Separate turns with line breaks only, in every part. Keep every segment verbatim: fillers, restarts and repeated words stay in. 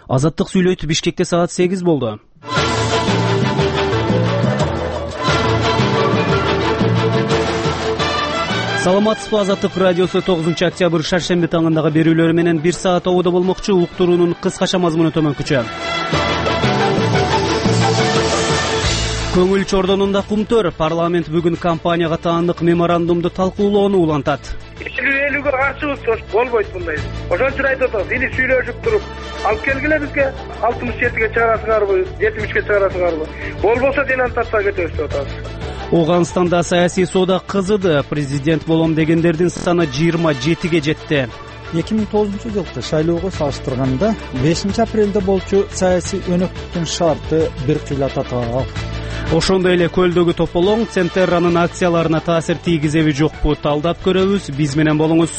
Азаттык сүйлөйт. Бишкекте саат сегиз болду. Саламатсызбы, Азаттык радиосу тогузунчу октябрь шаршемби таңындагы берүүлөрү менен бир саат ободо болмокчу. Уктуруунун кыскача мазмуну төмөнкүчө. Көңүл чордонунда кумтөр. Парламент бүгүн компанияга таандык меморандумду талкуулоону улантат.
Сүйлөөлүүгө каршыбыз, болбойт мындай. Ошон үчүн айтып атабыз, или сүйлөшүп туруп алып келгиле бизге алтымыш жетиге чыгарасыңарбы, жетимишке чыгарасыңарбы? Болбосо денонтацияга кетебиз деп атабыз.
Оганстанда саясий соода кызыды. Президент болом дегендердин саны жыйырма жетиге жетти.
эки миң тогузунчу жылкы шайлоого салыштырганда бешинчи апрелде болчу саясий өнөктүктүн шарты бир кыйла татаал.
Ошондой эле көлдөгү тополоң Центерранын акцияларына таасир тийгизеби жокпу? Талдап көрөбүз. Биз менен болуңуз.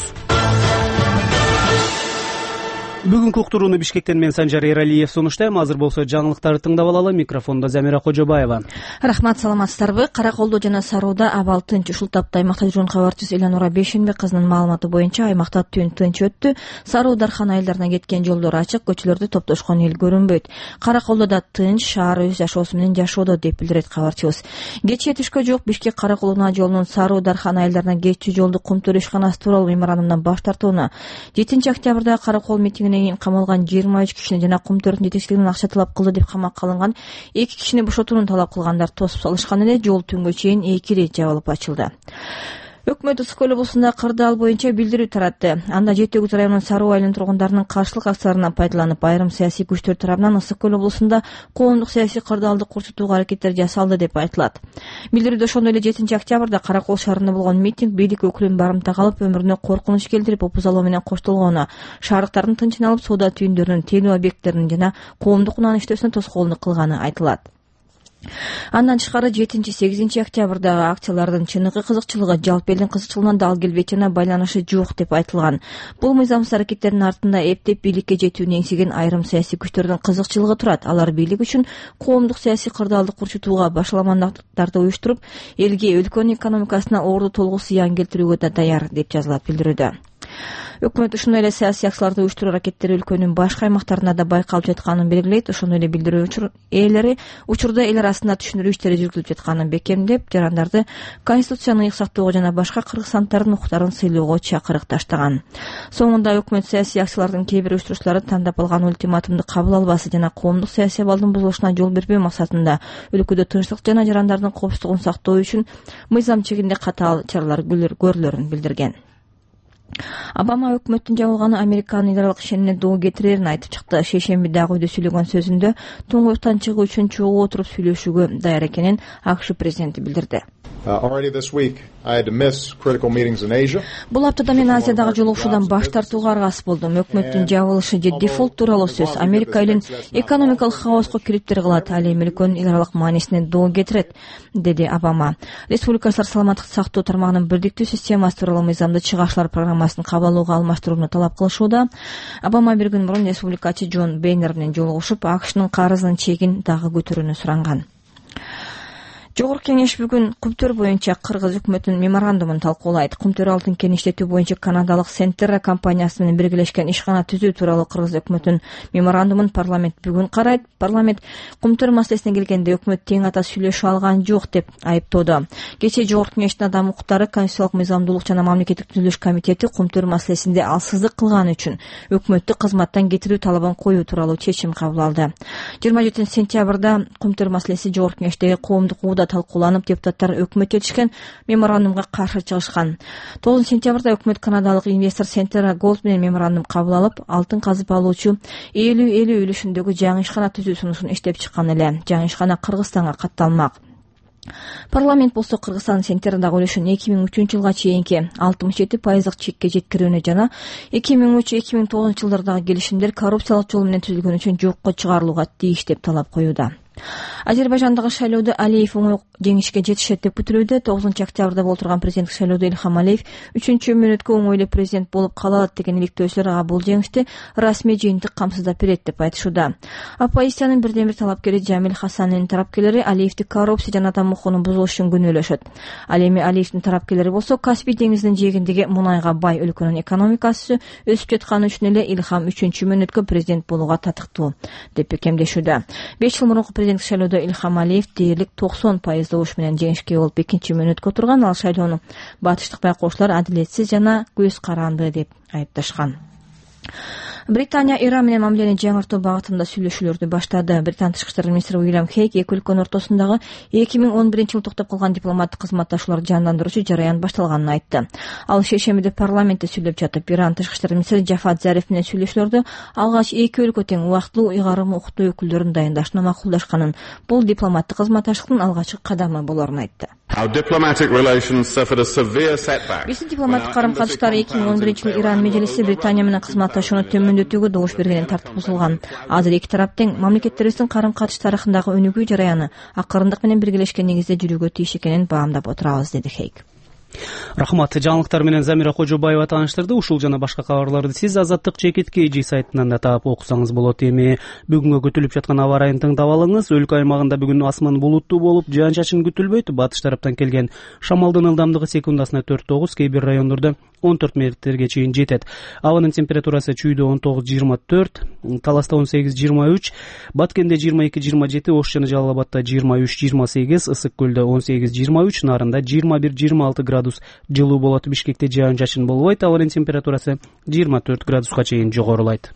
Бүгүнкү уктурууну Бишкектен мен Санжар Эралиев сунуштайм. Азыр болсо жаңылыктарды тыңдап алалы. Микрофондо Замира Кожобаева.
Рахмат, саламатсыздарбы? Караколдо жана Сарууда абал тынч. Ушул тапта аймакта жүргөн кабарчыбыз Элянура Бешенбек кызынын маалыматы боюнча аймакта түн тынч өттү. Саруу Дархан айылдарына кеткен жолдор ачык, көчөлөрдө топтошкон эл көрүнбөйт. Караколдо тынч, шаар өз жашоосу менен жашоодо деп билдирет кабарчыбыз. Кечээ түшкө жок Бишкек Караколдо жолунун Саруу Дархан айылдарына кетчү жолду кумтөр ишканасы тууралуу меморандумдан баш тартууна, жетинчи октябрда Каракол митингинен камалган жыйырма үч кишини жана кумтөрдүн жетекчилигинен акча талап кылды деп камакка алынган эки кишини бошотууну талап кылгандар тосуп салышкан эле жол түнгө чейин эки ирет жабылып ачылды. Өкмөт Ысык көл облусунда кырдаал боюнча билдирүү таратты. Анда Жети Өгүз районунун Саруу айылынын тургундарынын каршылык акцияларынан пайдаланып, айрым саясий күчтөр тарабынан Ысык көл облусунда коомдук саясий кырдаалды курчутууга аракеттер жасалды деп айтылат. Билдирүүдө ошондой эле жетинчи октябрда Каракол шаарында болгон митинг бийлик өкүлүн барымта калып, өмүрүнө коркунуч келтирип, опузалоо менен коштолгонуна, шаардыктардын тынчын алып, соода түйүндөрүнүн, телөө объекттеринин жана коомдук унаанын иштөөсүнө тоскоолдук кылганы айтылат. Андан тышкары жетинчи сегизинчи октябрдагы акциялардын чыныгы кызыкчылыгы жалпы элдин кызыкчылыгынан дал келбейт жана байланышы жок деп айтылган. Бул мыйзамсыз аракеттердин артында эптеп бийликке жетүүнү эңсеген айрым саясий күчтөрдүн кызыкчылыгы турат. Алар бийлик үчүн коомдук саясий кырдаалды курчутууга башаламандыктарды уюштуруп, элге, өлкөнүн экономикасына орду толгу зыян келтирүүгө да даяр деп жазылат билдирүүдө. Өкмөт ушундай эле саясий акцияларды уюштуруу аракеттери өлкөнүн башка аймактарында да байкалып жатканын белгилейт. Ошондой эле билдирүү ээлери учурда эл арасында түшүнүрүү иштери жүргүзүлүп жатканын бекемдеп, жарандарды конституцияны ыйык сактоого жана башка кыргызстандардын укуктарын сыйлоого чакырык таштаган. Соңунда өкмөт саясий акциялардын кээ бир уюштуруучулары тандап алган ультиматумду кабыл албасы жана коомдук саясий абалдын бузулушуна жол бербөө максатында өлкөдө тынчтык жана жарандардын коопсуздугун сактоо үчүн мыйзам чегинде катаал чаралар көрүлөрүн билдирген. Обама өкмөттүн жабылганы Американын идаралык ишенимине доо кетирерин айтып чыкты. Шейшембидагы үйдө сөйлөгөн сөзүндө туңгуюктан чыгуу үчүн чогуу отуруп сүйлөшүүгө даяр экенин АКШ президенти билдирди. Бул аптада мен Азиядагы жолугушуудан баш тартууга аргасыз болдум. Өкмөттүн жабылышы же дефолт тууралуу сөз Америка элин экономикалык хаоско кириптир кылат, ал эми өлкөнүн идаралык маанисине доо кетирет, деди Обама. Республикачылар саламаттыкты сактоо тармагынын бирдиктүү системасы тууралуу мыйзамды чыгашылар программасын кабыл алууга алмаштырууну талап кылышууда. Обама бир күн мурун республикачы Джон Бейнер менен жолугушуп, АКШнын карызынын чегин дагы көтөрүүнү суранган. Жогорку кеңеш бүгүн кумтөр боюнча Кыргыз өкмөтүнүн меморандумун талкуулайт. Кумтөр алтын кен иштетүү боюнча канадалык Centerra компаниясы менен биргелешкен ишкана түзүү тууралуу Кыргыз өкмөтүнүн меморандумун парламент бүгүн карайт. Парламент кумтөр маселесине келгенде өкмөт тең ата сүйлөшө алган жок деп айыптоодо. Кечээ Жогорку кеңештин адам укуктары, конституциялык мыйзамдуулук жана мамлекеттик түзүлүш комитети кумтөр маселесинде алсыздык кылганы үчүн өкмөттү кызматтан кетирүү талабын коюу тууралуу чечим кабыл алды. жыйырма жетинчи сентябрда кумтөр маселеси Жогорку кеңештеги коомдук ууда талкууланып, депутаттар өкмөт жетишкен меморандумга каршы чыгышкан. тогузунчу сентябрда өкмөт канадалык инвестор Centerra Gold менен меморандум кабыл алып, алтын казып алуучу элүү элүү үлүшүндөгү жаңы ишкана түзүү сунушун иштеп чыккан эле. Жаңы ишкана Кыргызстанга катталмак. Парламент болсо Кыргызстан Centerradагы үлүшүн эки миң үчүнчү жылга чейинки алтымыш жети пайыздык чекке жеткирүүнү жана эки миң үч эки миң тогузунчу жылдардагы келишимдер коррупциялык жол менен түзүлгөн үчүн жокко чыгарылууга тийиш деп талап коюуда. Азербайжандагы шайлоодо Алиев оңой жеңишке жетишет деп күтүлүүдө. тогузунчу октябрда болуп турган президенттик шайлоодо Илхам Алиев үчүнчү мүнөткө оңой эле президент болуп кала алат деген иликтөөчүлөр ага бул жеңишти расмий жыйынтык камсыздап берет деп айтышууда. Оппозициянын бирден бир талапкери Жамил Хасанынын тарапкерлери Алиевди коррупция жана атам укугунун бузулушун күнөөлөшөт. Ал эми Алиевдин тарапкерлери болсо Каспий деңизинин жээгиндеги мунайга бай өлкөнүн экономикасы өсүп жатканы үчүн эле Илхам үчүнчү мүнөткө президент болууга татыктуу деп бекемдешүүдө. беш жыл мурунку президенттик шайлоодо Илхам Алиев дээрлик токсон пайыз добуш менен жеңишке болуп экинчи мүнөткө отурган. Ал шайлоону батыштык байкоочулар адилетсиз жана көз каранды деп айыпташкан. Британия Иран менен мамилени жаңыртуу багытында сүйлөшүүлөрдү баштады. Британ тышкы иштер министри Уильям Хейк эки өлкөнүн ортосундагы эки миң он биринчи жылы токтоп калган дипломаттык кызматташууларды жандандыруучу жараян башталганын айтты. Ал шейшембиде парламентте сүйлөп жатып, Иран тышкы иштер министри Жафат Зариф менен сүйлөшүүлөрдү алгач эки өлкө тең убактылуу ыйгарым укуктуу өкүлдөрүн дайындашына макулдашканын, бул дипломаттык кызматташтыктын алгачкы кадамы болорун айтты. Биздин дипломаттык карым-катыштар эки миң он биринчи жылы Иран межлиси Британия менен кызматташууну төмөндөтүүгө добуш бергенин тартып бузулган. Азыр эки тарап тең мамлекеттерибиздин карым-катыш тарыхындагы өнүгүү жараяны акырындык менен биргелешкен негизде жүрүүгө тийиш экенин баамдап отурабыз, деди Хейк.
Рахмат. Жаңылыктар менен Замира Кожобаева тааныштырды. Ушул жана башка кабарларды сиз Азаттык Чекит Кж сайтынан да таап окусаңыз болот. Эми бүгүнгө күтүлүп жаткан аба ырайын тыңдап алыңыз. Өлкө аймагында бүгүн асман булуттуу болуп, жаан-чачын күтүлбөйт. Батыш тараптан келген шамалдын ылдамдыгы секундасына төрт тогуз, кээ бир райондордо он төрт метрге чейин жетет. Абанын температурасы Чүйдө он тогуз жыйырма төрт, Таласта он сегиз жыйырма үч, Баткенде жыйырма эки жыйырма жети, Ош жана Жалал Абадта жыйырма үч жыйырма сегиз, Ысык Көлдө он сегиз жыйырма үч, Нарында жыйырма бир жыйырма алты градус жылуу болот. Бишкекте жаан-чачын болбойт. Абанын температурасы жыйырма төрт градуска чейин жогорулайт.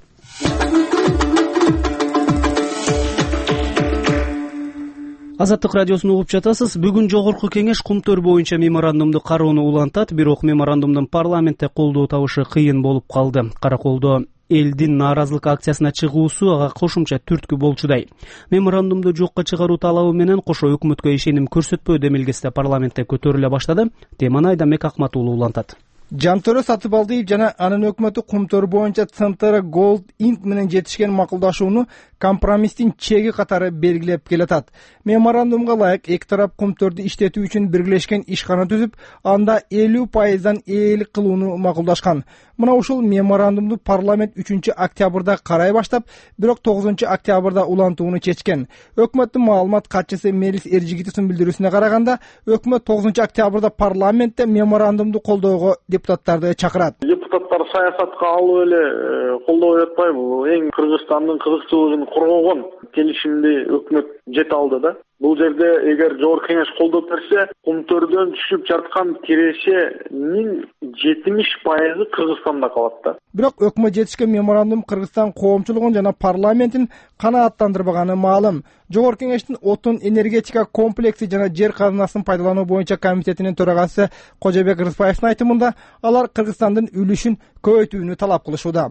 Азаттык радиосун угуп жатасыз. Бүгүн жогорку кеңеш кумтөр боюнча меморандумду кароону улантат, бирок меморандумдун парламентте колдоо табышы кыйын болуп калды. Караколдо элдин нааразылык акциясына чыгуусу ага кошумча түрткү болчудай. Меморандумду жокко чыгаруу талабы менен кошо өкмөткө ишеним көрсөтпөө демилгеси парламентте көтөрүлө баштады. Теманы Айдамек Акмат уулу улантат.
Жантөрө Сатыбалдиев жана анын өкмөтү кумтөр боюнча Центр Gold Inc менен жетишкен макулдашууну компромисстин чеги катары белгилеп келатат. Меморандумга ылайык эки тарап кумтөрдү иштетүү үчүн биргелешкен ишкана түзүп, анда элүү пайыздан ээлик кылууну макулдашкан. Мына ушул меморандумду парламент үчүнчү октябрда карай баштап, бирок тогузунчу октябрда улантууну чечкен. Өкмөттүн маалымат катчысы Мелис Эржигитовдун билдирүүсүнө караганда, өкмөт тогузунчу октябрда парламентте меморандумду колдоого депутаттарды чакырат.
Депутаттар саясатка алып эле колдобой атпайбы? Бул эң Кыргызстандын кызыкчылыгын коргогон келишимди өкмөт жете алды да. Бул жерде эгер жогорку кеңеш колдоп берсе, кумтөрдөн түшүп жаткан кирешенин жетимиш пайызы Кыргызстанда калат да.
Бирок өкмөт жетишкен меморандум Кыргызстан коомчулугун жана парламентин канааттандырбаганы маалым. Жогорку кеңештин отун энергетика комплекси жана жер казынасын пайдалануу боюнча комитетинин төрагасы Кожобек Рыспаевдин айтымында, алар Кыргызстандын үлүшүн көбөйтүүнү талап кылышууда.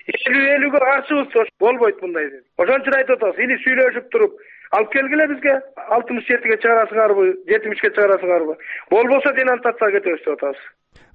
элүү элүүгө каршыбыз, болбойт мындай деп. Ошон үчүн айтып атабыз, или сүйлөшүп туруп алып келгиле бизге алтымыш жетиге чыгарасыңарбы, жетимишке чыгарасыңарбы? Болбосо денонтацияга кетебиз деп атабыз.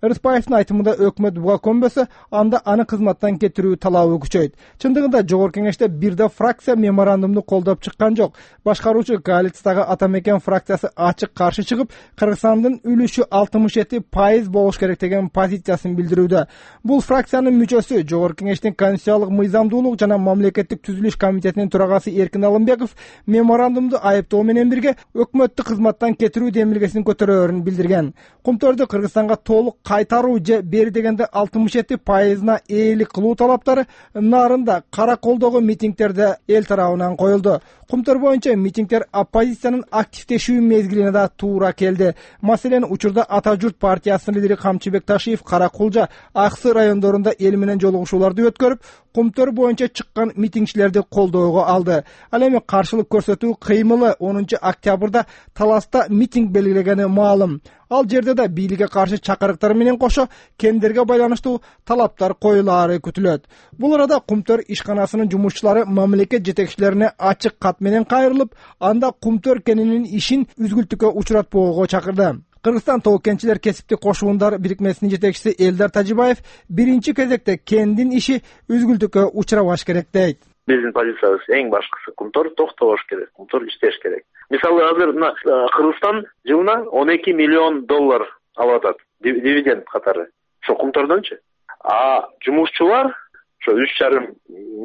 Рыспаевдин айтымында өкмөт буга көнбөсө, анда аны кызматтан кетирүү талабы күчөйт. Чындыгында жогорку кеңеште бир да фракция меморандумду колдоп чыккан жок. Башкаруучу коалициядагы Атамекен фракциясы ачык каршы чыгып, Кыргызстандын үлүшү алтымыш жети пайыз болуш керек деген позициясын билдирүүдө. Бул фракциянын мүчөсү, жогорку кеңештин конституциялык мыйзамдуулук жана мамлекеттик түзүлүш комитетинин төрагасы Эркин Алымбеков меморандумду айыптоо менен бирге өкмөттү кызматтан кетирүү демилгесин көтөрөөрүн билдирген. Кумтөрдү Кыргызстанга толук кайтаруу же бери дегенде алтымыш жети пайызына ээлик кылуу талаптары Нарында Караколдогу митингтерде эл тарабынан коюлду. Кумтөр боюнча митингтер оппозициянын активдешүү мезгилине да туура келди. Маселен, учурда Ата журт партиясынын лидери Камчыбек Ташиев Каракулжа, Аксы райондорунда эл менен жолугушууларды өткөрүп, кумтөр боюнча чыккан митингчилерди колдоого алды. Ал эми каршылык көрсөтүү кыймылы онунчу октябрда Таласта митинг белгилегени маалым. Ал жерде да бийликке каршы чакырыктар менен кошо кендерге байланыштуу талаптар коюлаары күтүлөт. Бул арада кумтөр ишканасынын жумушчулары мамлекет жетекчилерине ачык кат менен кайрылып, анда кумтөр кенинин ишин үзгүлтүккө учуратпоого чакырды. Кыргызстан тоо кенчилер кесиптик кошуундар бирикмесинин жетекчиси Элдар Тажибаев биринчи кезекте кендин иши үзгүлтүккө учурабаш керек дейт.
Биздин позициябыз эң башкысы кумтор токтобош керек, кумтор иштеш керек. Мисалы азыр мына Кыргызстан жылына он эки миллион доллар алып атат дивиденд катары. Ошо кумтордончу. А жумушчулар ошо үч жарым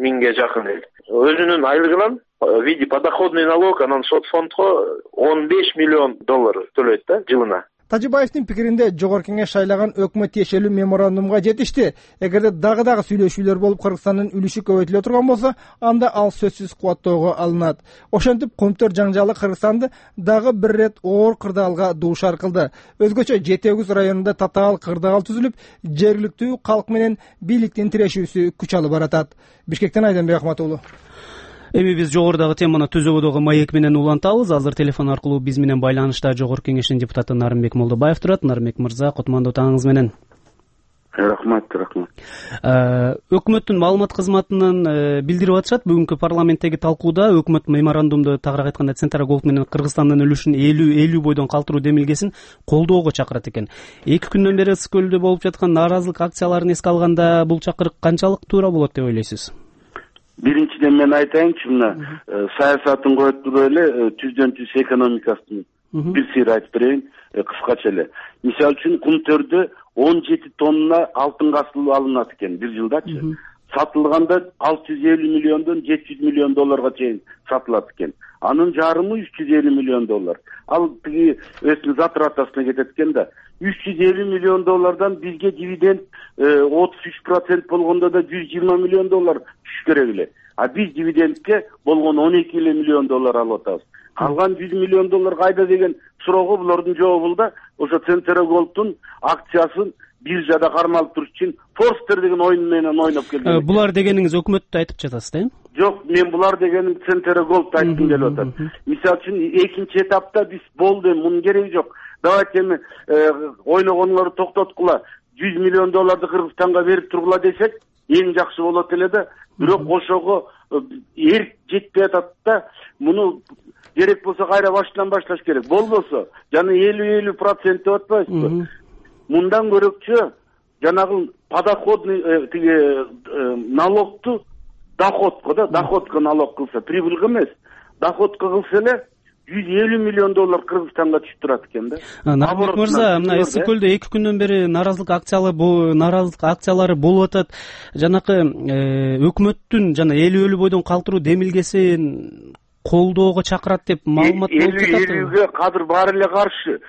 миңге жакын эл. Өзүнүн айлыгынан в виде подоходный налог анан сот фондго он беш миллион доллар төлөйт да жылына.
Тажибаевдин пикиринде жогорку кеңеш шайлаган өкмөт тиешелүү меморандумга жетишти. Эгерде дагы дагы сүйлөшүүлөр болуп Кыргызстандын үлүшү көбөйтүлө турган болсо, анда ал сөзсүз кубаттоого алынат. Ошентип кумтөр жаңжалы Кыргызстанды дагы бир рет оор кырдаалга дуушар кылды. Өзгөчө Жети Өгүз районунда татаал кырдаал түзүлүп, жергиликтүү калк менен бийликтин тирешүүсү күч алып баратат. Бишкектен Айданбек Ахмат уулу.
Эми биз жогорудагы теманы түзүүдөгү маек менен улантабыз. Азыр телефон аркылуу биз менен байланышта Жогорку кеңештин депутаты Нарымбек Молдобаев турат. Нарымбек мырза, кутмандуу таңыңыз менен.
Рахмат, рахмат.
Өкмөттүн маалымат кызматынан билдирип атышат, бүгүнкү парламенттеги талкууда өкмөт меморандумду, тагыраак айтканда Центр Голд менен Кыргызстандын үлүшүн элүү бойдон калтыруу демилгесин колдоого чакырат экен. Эки күндөн бери Ысык көлдө болуп жаткан нааразылык акцияларын эске алганда бул чакырык канчалык туура болот деп ойлойсуз?
Биринчиден мен айтайынчы, мына саясатын коюп туруп эле түздөн түз экономикасын бир сыйра айтып берейин кыскача эле. Мисалы үчүн Кумтөрдө он жети тонна алтын касыл алынат экен бир жылдачы. Сатылганда алты жүз элүү миллиондон жети жүз миллион долларга чейин сатылат экен. Анын жарымы үч жүз элүү миллион доллар. Ал тиги өзүнүн затратасына кетет экен да. үч жүз элүү миллион доллардан бизге дивиденд отуз үч процент болгондо да жүз жыйырма миллион доллар түшүш керек эле. А биз дивидендке болгон он эки миллион доллар алып атабыз. Калган жүз миллион доллар кайда деген суроого булардын жообу да ошо Центр Голдтун акциясын биржада кармалып туруш үчүн Форстер деген ойун менен ойноп келген.
Булар дегениңиз өкмөттү айтып жатасыз да?
Жок, мен булар дегеним Центр Голд айткым келип атат. Мисалы үчүн экинчи этапта биз болду, мунун кереги жок. Давайте эми ойногонуңарды токтоткула, жүз миллион долларды Кыргызстанга берип тургула десек, эң жакшы болот эле да. Бирок ошого эрк жетпей атат да. Муну керек болсо кайра башынан башташ керек. Болбосо жана элүү процент деп атпайсызбы? Мындан көрөкчө жанагы подоходный тиги налогту доходко да, доходко налог кылса, прибыльга эмес, доходко кылса эле жүз элүү миллион доллар Кыргызстанга түшүп турат экен да.
Нарымбек мырза, мына Ысык көлдө эки күндөн бери нааразылык акциялары нааразылык акциялары болуп атат. Жанакы өкмөттүн жана элүү бойдон калтыруу демилгесин колдоого чакырат деп маалымат болуп жатат.
элүүгө кадыр баары эле каршы.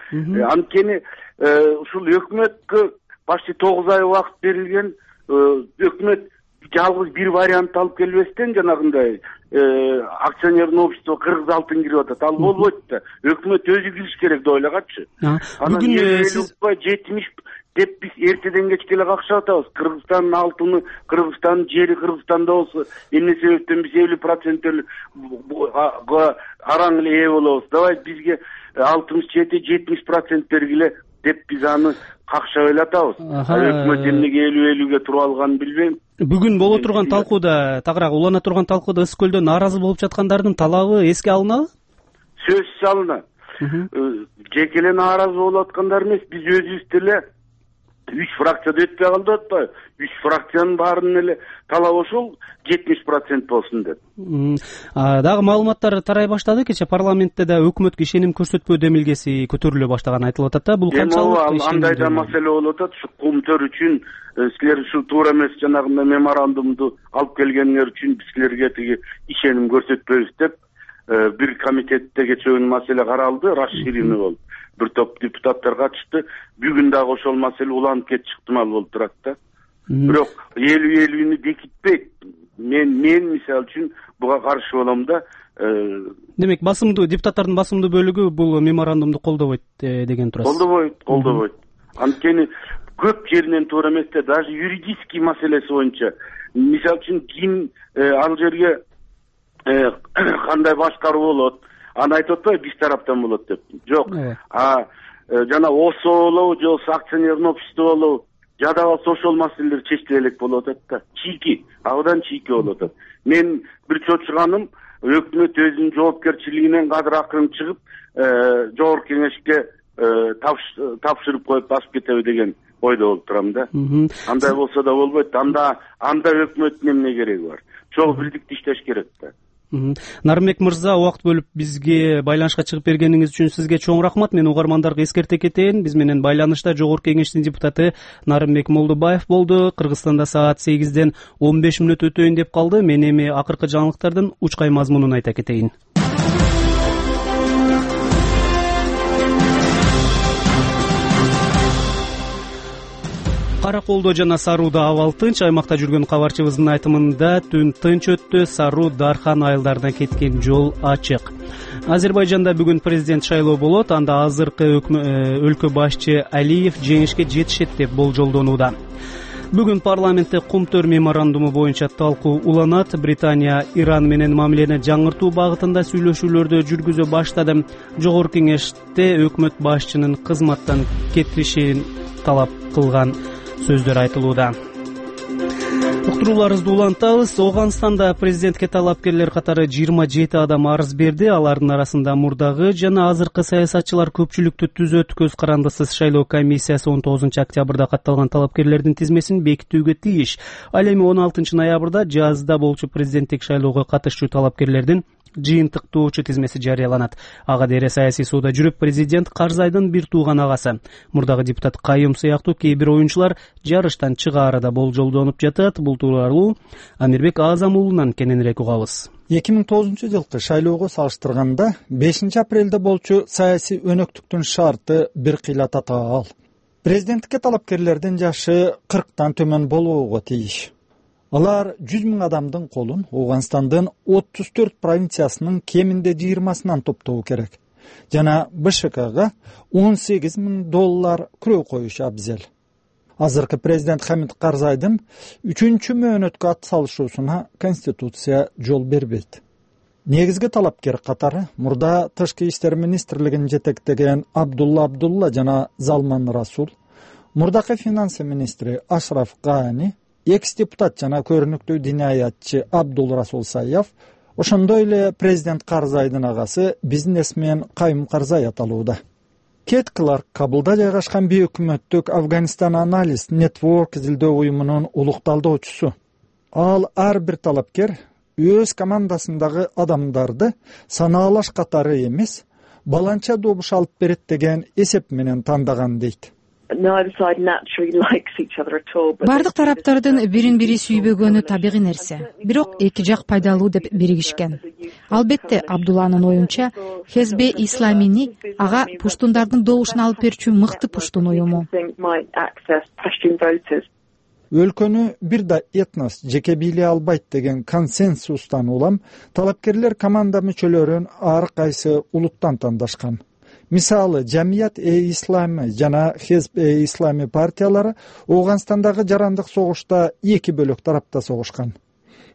Анткени ушул өкмөткө почти тогуз ай убакыт берилген. Өкмөт жалгыз бир вариант алып келбестен жанагындай акционерный общество Кыргыз алтын кирип атат. Ал болбойт да. Өкмөт өзү кириш керек деп ойлогачы. Бүгүн сиз жетимиш деп биз эртеден кечке эле какшап атабыз. Кыргызстандын алтыны, Кыргызстандын жери Кыргызстанда болсо, эмне себептен биз элүү процент араң эле ээ болобуз. Давай бизге алтымыш жети жетимиш процент бергиле деп биз аны какшап эле атабыз. Өкмөт эмнеге элүү элүүгө туруп алганын билбейм.
Бүгүн боло турган талкууда, тагыраак улана турган талкууда Ысык көлдө нааразы болуп жаткандардын талабы эске алынабы?
Сөзсүз алынат. Жеке эле нааразы болуп аткандар эмес, биз өзүбүз деле үч фракцияда өтпөй калды деп атпайбы? Үч фракциянын баарынын эле талабы ошол жетимиш процент болсун деп.
Дагы маалыматтар тарай баштады. Кече парламентте да өкмөткө ишеним көрсөтпөө демилгеси көтөрүлө баштаганы айтылып атат да. Бул канчалык
андай да маселе болуп атат. Ушу Кумтөр үчүн силер ушу туура эмес жанагындай меморандумду алып келгениңер үчүн биз силерге тиги ишеним көрсөтпөйбүз деп бир комитетте кечээ күнү маселе каралды, расширенный болуп. Бир топ депутаттар катышты. Бүгүн дагы ошол маселе уланып кетиши ыктымал болуп турат да. Бирок элүү элүүнү бекитпейт. Мен мен мисалы үчүн буга каршы болом да.
Демек, басымдуу депутаттардын басымдуу бөлүгү бул меморандумду колдобойт деген турасыз.
Колдобойт, колдобойт. Анткени көп жеринен туура эмес да, даже юридический маселеси боюнча. Мисалы үчүн ким ал жерге кандай башкаруу болот? Аны айтып атпайбы, биз тараптан болот деп. Жок. А жана ОСО болобу, же акционерный общество болобу, жада болсо ошол маселелер чечиле элек болуп атат да. Чийки, абдан чийки болуп атат. Мен бир чочуганым, өкмөт өзүнүн жоопкерчилигинен кадыр акырын чыгып, жогорку кеңешке тапшырып коюп басып кетеби деген ойдо болуп турам да. Андай болсо да болбойт. Анда анда өкмөттүн эмне кереги бар? Чогуу бирдикте иштеш керек да.
Нарымбек мырза, убакыт бөлүп бизге байланышка чыгып бергениңиз үчүн сизге чоң рахмат. Мен угармандарга эскерте кетейин. Биз менен байланышта Жогорку Кеңештин депутаты Нарымбек Молдубаев болду. Кыргызстанда саат сегизден он беш мүнөт өтөйүн деп калды. Мен эми акыркы жаңылыктардын учкай мазмунун айта кетейин. Караколдо жана Сарууда абал тынч. Аймакта жүргөн кабарчыбыздын айтымында түн тынч өттү. Саруу Дархан айылдарына кеткен жол ачык. Азербайжанда бүгүн президент шайлоо болот. Анда азыркы өлкө башчы Алиев жеңишке жетишет деп болжолдонууда. Бүгүн парламентте Кумтөр меморандуму боюнча талкуу уланат. Британия Иран менен мамилени жаңыртуу багытында сүйлөшүүлөрдү жүргүзө баштады. Жогорку Кеңеште өкмөт башчынын кызматтан кетишин талап кылган сөздөр айтылууда. Уктурууларыбызды улантабыз. Ооганстанда президентке талапкерлер катары жыйырма жети адам арыз берди. Алардын арасында мурдагы жана азыркы саясатчылар көпчүлүктү түзөт. Көз карандысыз шайлоо комиссиясы он тогузунчу октябрда катталган талапкерлердин тизмесин бекитүүгө тийиш. Ал эми он алтынчы ноябрда жазда болчу президенттик шайлоого катышчу талапкерлердин жыйынтыктоочу тизмеси жарыяланат. Ага дере саясий сууда жүрүп президент Карзайдын бир тууган агасы. Мурдагы депутат Кайым сыяктуу кээ бир оюнчулар жарыштан чыгаары да болжолдонуп жатат. Бул тууралуу Амирбек Азам уулунан кененирээк угабыз.
эки миң тогузунчу жылкы шайлоого салыштырганда бешинчи апрелде болчу саясий өнөктүктүн шарты бир кыйла татаал. Президенттикке талапкерлердин жашы кырктан төмөн болбогого тийиш. Алар жүз миң адамдын колун Ооганстандын отуз төрт провинциясынын кеминде жыйырмасынан топтоо керек. Жана БШКга он сегиз миң доллар күрөө коюш абзел. Азыркы президент Хамид Карзайдын үчүнчү мөөнөткө ат салышуусуна Конституция жол бербейт. Негизги талапкер катары мурда Тышкы иштер министрлигин жетектеген Абдулла Абдулла жана Залман Расул, мурдакы финансы министри Ашраф Гани, экс-депутат жана көрүнүктүү диниаятчы Абдул Расул Саяв, ошондой эле президент Карзайдын агасы бизнесмен Кайым Карзай аталууда. Кет Кларк Кабылда жайгашкан бейөкмөттүк Афганистан анализ нетворк изилдөө уюмунун улукталдоочусу. Ал ар бир талапкер өз командасындагы адамдарды санаалаш катары эмес, баланча добуш алып берет деген эсеп менен тандаган дейт.
Бардык тараптардын бирин бири сүйбөгөнү табигый нерсе. Бирок эки жак пайдалуу деп биригишкен. Албетте, Абдулланын оюнча, Хезбе Исламини ага пуштундардын добушун алып берүүчү мыкты пуштун уюму.
Өлкөнү бир да этнос жеке бийлей албайт деген консенсустан улам талапкерлер команда мүчөлөрүн ар кайсы улуттан тандашкан. Мисалы, Жамият-э-Ислами жана Хезб-э-Ислами партиялары Ооганстандагы жарандык согушта эки бөлөк тарапта согушкан.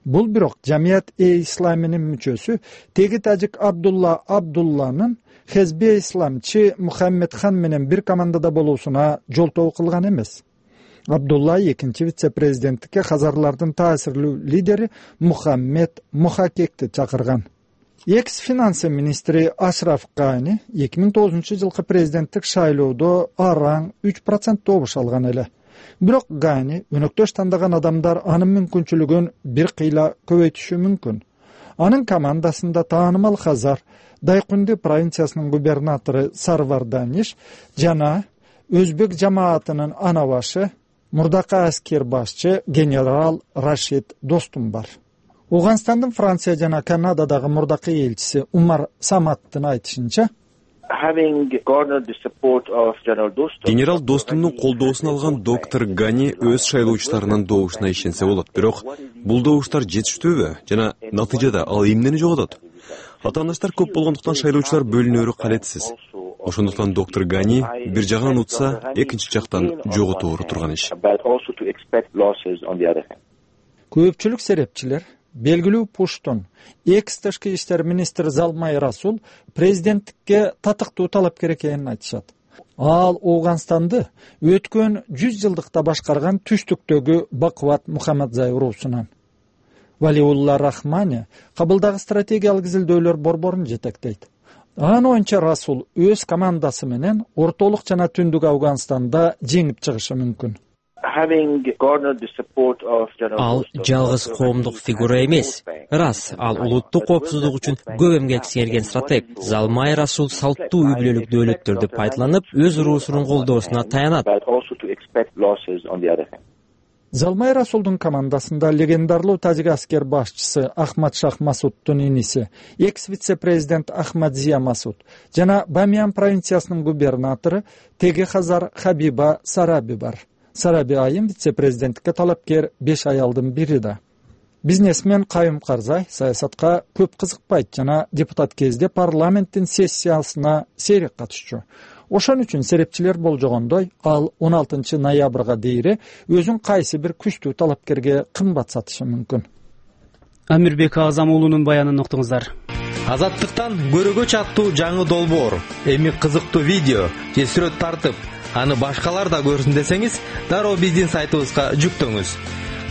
Бул бирок Жамият-э-Исламинин мүчөсү теги тажик Абдулла Абдулланын Хезбе-Исламчы Мухаммед хан менен бир командада болуусуна жолтоо кылган эмес. Абдулла экинчи вице-президенттикке хазарлардын таасирлүү лидери Мухаммед Мухакекти чакырган. Экс-финансы министри Ашраф Гани эки миң тогузунчу жылкы президенттик шайлоодо араң үч процент добуш алган эле. Бирок Гани өнөктөш тандаган адамдар анын мүмкүнчүлүгүн бир кыйла көбөйтүшү мүмкүн. Анын командасында таанымал Хазар, Дайкунди провинциясынын губернатору Сарвар Даниш жана өзбек жамаатынын ана башы, мурдакы аскер башчы генерал Рашид Достум бар. Ооганстандын Франция жана Канададагы мурдакы элчиси Умар Саматтын айтышынча,
генерал Достумдун колдоосун алган доктор Гани өз шайлоочуларынын добушуна ишенсе болот. Бирок бул добуштар жетиштүүбү жана натыйжада ал эмнени жоготот? Атаандаштар көп болгондуктан шайлоочулар бөлүнөөрү калетсиз. Ошондуктан доктор Гани бир жагынан утса, экинчи жактан жоготобору турган иш.
Көпчүлүк серепчилер белгилүү пуштун экс-тышкы иштер министри Залмай Расул президенттикке татыктуу талапкер экенин айтышат. Ал Ооганстанды өткөн жүз жылдыкта башкарган түштүктөгү бакубат Мухаммадзай уруусунан. Валиулла Рахмани Кабылдагы стратегиялык изилдөөлөр борборун жетектейт. Анын оюнча Расул өз командасы менен ортолук жана түндүк Афганстанда жеңип чыгышы мүмкүн.
Ал жалгыз коомдук фигура эмес. Рас, ал улуттук коопсуздук үчүн көп эмгек сиңирген стратег. Залмай Расул салттуу үй бүлөлүк дөөлөттөрдү пайдаланып, өз уруусунун колдоосуна таянат.
Залмай Расулдун командасында легендарлуу тажик аскер башчысы Ахмад Шах Масуддун иниси, экс вице-президент Ахмад Зия Масуд жана Бамиян провинциясынын губернатору Теги Хазар Хабиба Сараби бар. Сараби айым вице-президенттикке талапкер беш аялдын бири да. Бизнесмен Кайым Карзай саясатка көп кызыкпайт жана депутат кезде парламенттин сессиясына сейрек катышчу. Ошон үчүн серепчилер болжогондой, ал он алтынчы ноябрга дейре өзүн кайсы бир күчтүү талапкерге кымбат сатышы мүмкүн.
Амирбек Азам уулунун баянын уктуңуздар.
Азаттыктан көрөгөч аттуу жаңы долбоор, эми кызыктуу видео же сүрөт тартып, аны башкалар да көрсүн десеңиз, дароо биздин сайтыбызга жүктөңүз.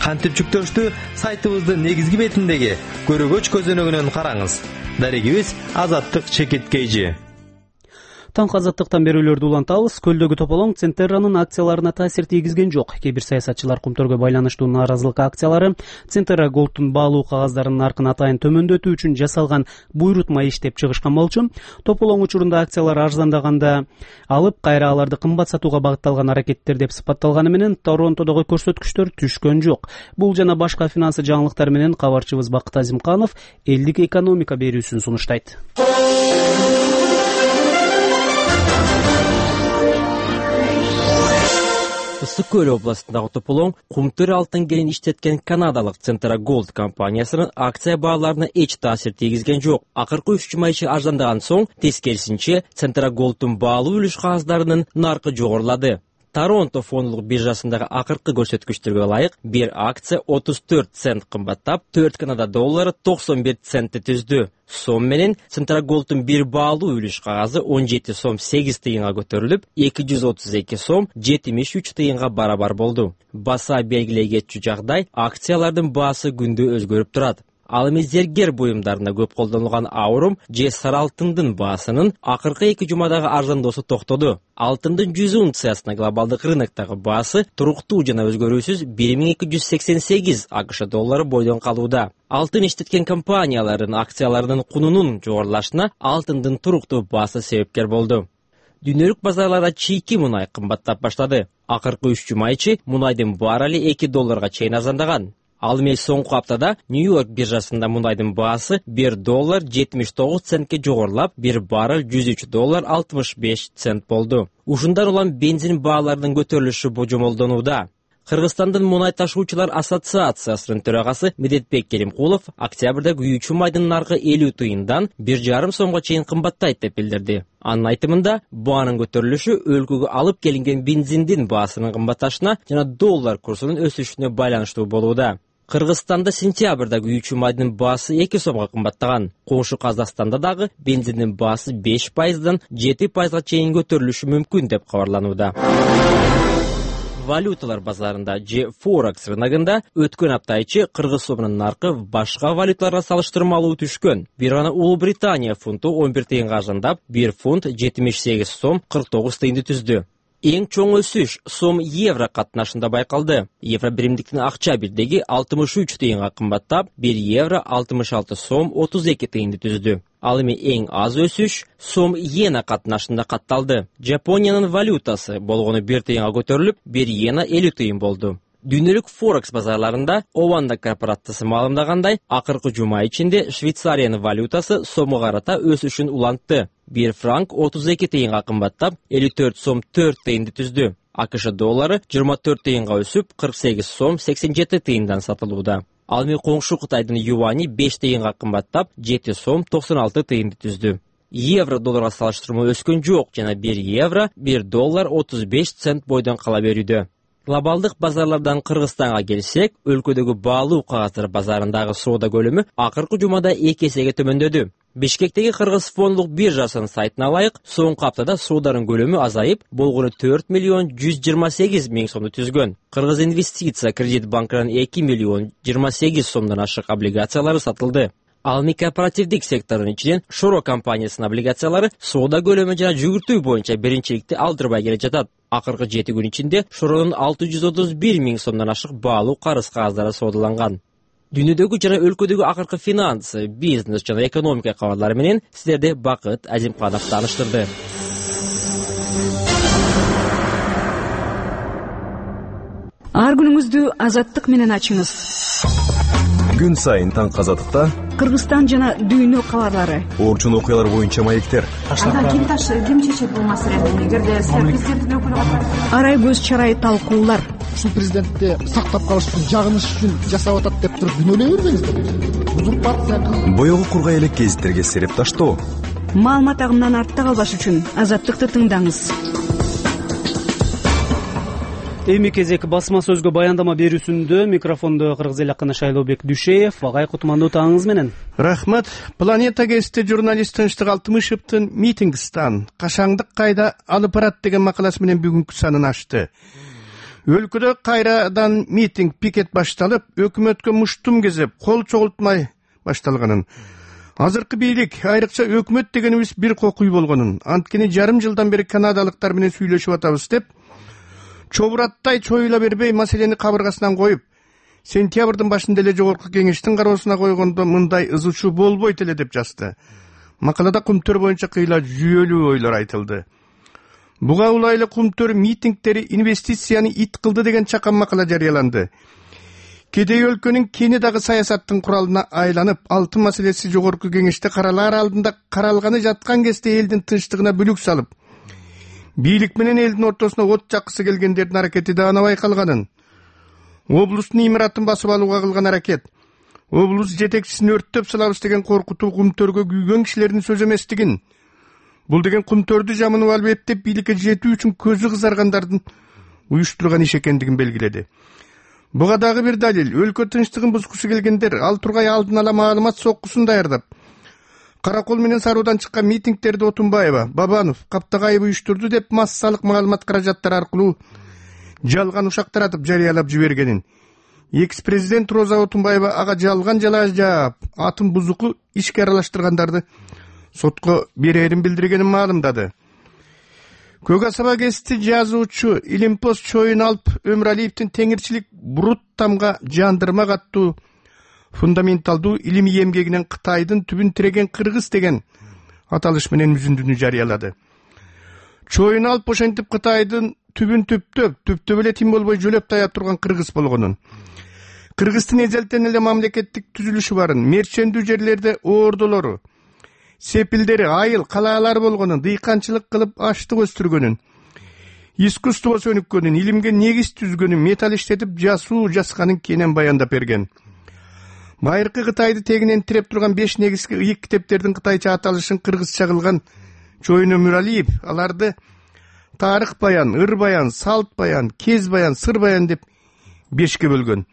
Кантип жүктөштү? Сайтыбыздын негизги бетиндеги көрөгөч көзөнөгүнөн караңыз. Дарегибиз Азаттык чекит кейжи.
Таңкы азаттыктан берүүлөрдү улантабыз. Көлдөгү тополоң Центерранын акцияларына таасир тийгизген жок. Кээ бир саясатчылар кумтөргө байланыштуу нааразылык акциялары Центера Голдтун баалуу кагаздарынын наркын атайын төмөндөтүү үчүн жасалган буйрутма иш деп чыгышкан болчу. Тополоң учурунда акциялар арзандаганда алып, кайра аларды кымбат сатууга багытталган аракеттер деп сыпатталганы менен Торонтодогу көрсөткүчтөр түшкөн жок. Бул жана башка финансы жаңылыктар менен кабарчыбыз Бакыт Азимканов элдик экономика берүүсүн сунуштайт.
Ысык көл областындагы тополоң кумтөр алтын кенин иштеткен канадалык Центера Голд компаниясынын акция бааларына эч таасир тийгизген жок. Акыркы үч жума ичи арзандаган соң, тескерисинче Центера Голдтун баалуу үлүш кагаздарынын наркы жогорулады. Торонто фондулук биржасындагы акыркы көрсөткүчтөргө ылайык бир акция отуз төрт цент кымбаттап, төрт Канада доллары токсон бир центти түздү. Сом менен Центера Голдтун бир баалуу үлүш кагазы он жети сом сегиз тыйынга көтөрүлүп, эки жүз отуз эки сом жетимиш үч тыйынга барабар болду. Баса белгилей кетчү жагдай, акциялардын баасы күндө өзгөрүп турат. Ал эми зергер буюмдарына көп колдонулган аурум же сары алтындын баасынын акыркы эки жумадагы арзандоосу токтоду. Алтындын жүз унциясына глобалдык рыноктогу баасы туруктуу жана өзгөрүүсүз бир миң эки жүз сексен сегиз АКШ доллары бойдон калууда. Алтын иштеткен компаниялардын акцияларынын кунунун жогорулашына алтындын туруктуу баасы себепкер болду. Дүйнөлүк базарларда чийки мунай кымбаттап баштады. Акыркы үч жума ичи мунайдын баррели эки долларга чейин арзандаган. Ал эми соңку аптада Нью-Йорк биржасында мунайдын баасы бир доллар жетимиш тогуз центке жогорулап, бир баррель жүз үч доллар алтымыш беш цент болду. Ушундан улам бензин бааларынын көтөрүлүшү божомолдонууда. Кыргызстандын мунай ташуучулар ассоциациясынын төрагасы Медетбек Керимкулов октябрда күйүүчү майдын наркы элүү тыйындан бир жарым сомго чейин кымбаттайт деп билдирди. Анын айтымында, баанын көтөрүлүшү өлкөгө алып келинген бензиндин баасынын кымбатташына жана доллар курсунун өсүшүнө байланыштуу болууда. Кыргызстанда сентябрда күйүүчү майдын баасы эки сомго кымбаттаган. Коңшу Казакстанда дагы бензиндин баасы беш пайыздан жети пайызга чейин көтөрүлүшү мүмкүн деп кабарланууда. Валюталар базарында же Форекс рыногунда өткөн апта ичи кыргыз сомунун наркы башка валюталарга салыштырмалуу түшкөн. Бир гана Улуу Британия фунту он бир тыйынга арзандап, бир фунт жетимиш сегиз сом кырк тогуз тыйынды түздү. Эң чоң өсүш сом евро катнашында байкалды. Евро биримдиктин акча бирдеги алтымыш үч тыйынга кымбаттап, бир евро алтымыш алты сом отуз эки тыйынды түздү. Ал эми эң аз өсүш сом иена катнашында катталды. Жапониянын валютасы болгону бир тыйынга көтөрүлүп, бир иена элүү тыйын болду. Дүйнөлүк Форекс базарларында Ованда корпорациясы маалымдагандай, акыркы жума ичинде Швейцариянын валютасы сомго карата өсүшүн улантты. Бир франк отуз эки тыйынга кымбаттап, элүү төрт сом төрт тыйынды түздү. АКШ доллары жыйырма төрт тыйынга өсүп, кырк сегиз сом сексен жети тыйындан сатылууда. Ал эми коңшу Кытайдын юани беш тыйынга кымбаттап, жети сом токсон алты тыйынды түздү. Евро долларга салыштырмалуу өскөн жок жана бир евро бир доллар отуз беш цент бойдон кала берүүдө. Глобалдык базарлардан Кыргызстанга келсек, өлкөдөгү баалуу кагаздар базарындагы соода көлөмү акыркы жумада эки эсеге төмөндөдү. Бишкектеги Кыргыз фондулук биржасынын сайтына ылайык, соңку аптада сооданын көлөмү азайып, болгону төрт миллион жүз жыйырма сегиз миң сомду түзгөн. Кыргыз инвестиция кредит банкынан эки миллион жыйырма сегиз сомдон ашык облигациялары сатылды. Ал кооперативдик сектордун ичинен Шоро компаниясынын облигациялары соода көлөмү жана жүгүртүү боюнча биринчиликти алдырбай келе жатат. Акыркы жети күн ичинде Шоронун алты жүз отуз бир миң сомдон ашык баалуу карыз кагаздары соодаланган. Дүйнөдөгү жана өлкөдөгү акыркы финанс, бизнес жана экономика кабарлары менен сиздерди Бакыт Азимканов тааныштырды.
Ар күнүңүздү азаттык менен ачыңыз.
Күн сайын таң азаттыкта
Кыргызстан жана дүйнө кабарлары,
орчун окуялар боюнча маектер.
Анда ким ташы, ким чечет бул маселени? Эгерде силер президенттин өкүлү катары арай көз чарай талкуулар.
Ушул президентти сактап калыш үчүн, жагыныш үчүн жасап атат деп туруп күнөөлөй бербеңиздер. Узурпация кылып,
боёгу кургай элек гезиттерге сереп таштоо.
Маалымат агымынан артта калбаш үчүн азаттыкты тыңдаңыз.
Эми кезек басма сөзгө баяндама берүүсүндө микрофондо Кыргыз эл акыны Шайлообек Дүйшеев. Агай кутмандуу таңыңыз менен.
Рахмат. Планета гезити журналист Тынчтык Алтымышевдин митингстан кашаңдык кайда алып барат деген макаласы менен бүгүнкү санын ачты. Өлкөдө кайрадан митинг, пикет башталып, өкмөткө муштум кезеп, кол чогултмай башталганын. Азыркы бийлик, айрыкча өкмөт дегенибиз бир кокуй болгонун, анткени жарым жылдан бери канадалыктар менен сүйлөшүп атабыз деп чобураттай чоюла бербей маселени кабыргасынан коюп, сентябрдын башында эле жогорку кеңештин кароосуна койгондо мындай ызычуу болбойт эле деп жазды. Макалада кумтөр боюнча кыйла жүйөлүү ойлор айтылды. Буга улайлы кумтөр митингдери инвестицияны ит кылды деген чакан макала жарыяланды. Кедей өлкөнүн кени дагы саясаттын куралына айланып, алтын маселеси жогорку кеңеште каралаар алдында каралганы жаткан кезде элдин тынчтыгына бүлүк салып, бийлик менен элдин ортосуна от жаккысы келгендердин аракети да анабай калганын, облустун имаратын басып алууга кылган аракет, облус жетекчисин өрттөп салабыз деген коркутуу кумтөргө күйгөн кишилердин сөзү эместигин, бул деген кумтөрдү жамынып алып эптеп бийликке жетүү үчүн көзү кызаргандардын уюштурган иш экендигин белгиледи. Буга дагы бир далил, өлкө тынчтыгын бузгусу келгендер ал тургай алдын ала маалымат соккусун даярдап, Каракол менен Саруудан чыккан митингтерди Отунбаева, Бабанов, Каптагаев уюштурду деп массалык маалымат каражаттары аркылуу жалган ушак таратып жарыялап жибергенин. Экс-президент Роза Отунбаева ага жалган жала жаап, атын бузуку ишке аралаштыргандарды сотко берерин билдиргенин маалымдады. Көк асаба гезити жазуучу Илимпоз Чоюналп Өмүралиевдин теңирчилик бурут тамга жандырма каттуу фундаменталдуу илимий эмгегинен Кытайдын түбүн тиреген Кыргыз деген аталыш менен үзүндүнү жарыялады. Чоюналп ошентип Кытайдын түбүн түптөп, түптөп эле тим болбой жөлөп таяп турган Кыргыз болгонун, Кыргыздын эзелтен эле мамлекеттик түзүлүшү барын, мерчендүү жерлерде оордолору, сепилдери, айыл, калаалар болгонун, дыйканчылык кылып аштык өстүргөнүн, искусство өнүккөнүн, илимге негиз түзгөнүн, металл иштетип жасуу жасканын кенен баяндап берген. Байыркы Кытайды тегинен тиреп турган беш негизги ыйык китептердин кытайча аталышын кыргызча кылган Чоюн Өмүралиев аларды тарых баян, ыр баян, салт баян, кез баян, сыр баян деп бешке бөлгөн.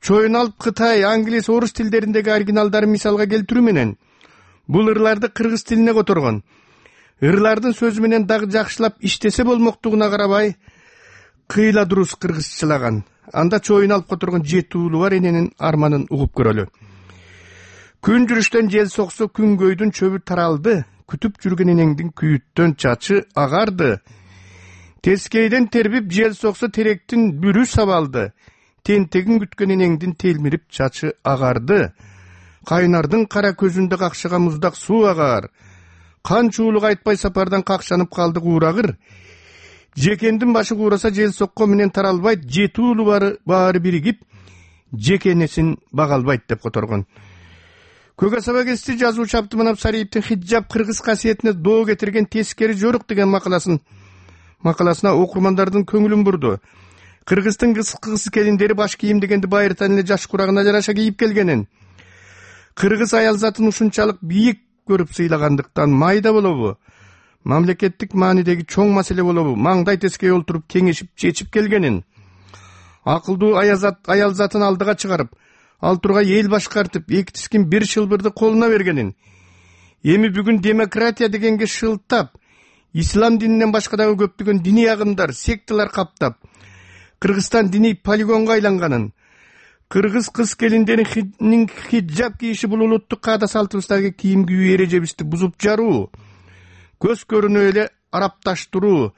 Чоюналп Кытай, англис, орус тилдериндеги оригиналдарын мисалга келтирүү менен бул ырларды кыргыз тилине которгон. Ырлардын сөзү менен дагы жакшылап иштесе болмоктугуна карабай кыйла дуруз кыргызчалаган. Анда Чоюналп которгон жети уулу бар эненин арманын угуп көрөлү. Күн жүрүштөн жел соксо күнгөйдүн чөбү таралды, күтүп жүргөн энеңдин күйүттөн чачы агарды. Тескейден тербип жел соксо теректин бүрү сабалды, тентегин күткөн энеңдин телмирип чачы агарды. Кайнардын кара көзүндө какшыган муздак суу агар. Канча уулук айтпай сапардан какшанып калдык уурагыр. Жекендин башы куураса жел сокко менен таралбайт, жети уулу бары баары биригип, жекенесин бага албайт деп которгон. Көк асаба гезити жазуучу Абдыманап Сариевдин хиджаб кыргыз касиетине доо кетирген тескери жорук деген макаласын макаласына окурмандардын көңүлүн бурду. Кыргыздын кыз келиндери баш кийим дегенди байыртан эле жаш курагына жараша кийип келгенин, кыргыз аялзатын ушунчалык бийик көрүп сыйлагандыктан майда болобу, мамлекеттик маанидеги чоң маселе болобу, маңдай тескей олтуруп кеңешип чечип келгенин, акылдуу аялзатын алдыга чыгарып, ал тургай эл башкартып, эки тискин бир шылбырды колуна бергенин, эми бүгүн демократия дегенге шылтап, ислам дининен башка дагы көптөгөн диний агымдар, секталар каптап, Кыргызстан диний полигонго айланганын, кыргыз кыз келиндеринин хиджаб кийиши бул улуттук каада салтыбыздагы кийим кийүү эрежебизди бузуп жаруу, көз көрүнүп эле арапташтыруу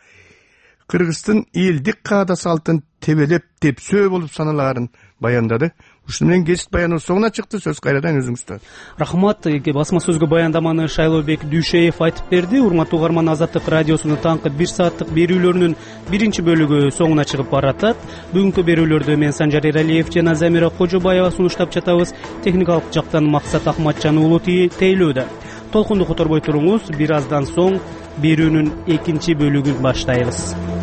кыргыздын элдик каада салтын тебелеп тепсөө болуп саналаарын баяндады. Ушуну менен кесип баяныбыз соңуна чыкты. Сөз кайрадан өзүңүздө.
Рахмат. Басма сөзгө баяндаманы Шайлообек Дүйшеев айтып берди. Урматтуу угарман, Азаттык радиосунун таңкы бир сааттык берүүлөрүнүн биринчи бөлүгү соңуна чыгып баратат. Бүгүнкү берүүлөрдү мен Санжар Эралиев жана Замира Кожобаева сунуштап жатабыз. Техникалык жактан Максат Ахматжан уулу тейлөөдө. Толкунду которбой туруңуз. Бир аздан соң берүүнүн экинчи бөлүгүн баштайбыз.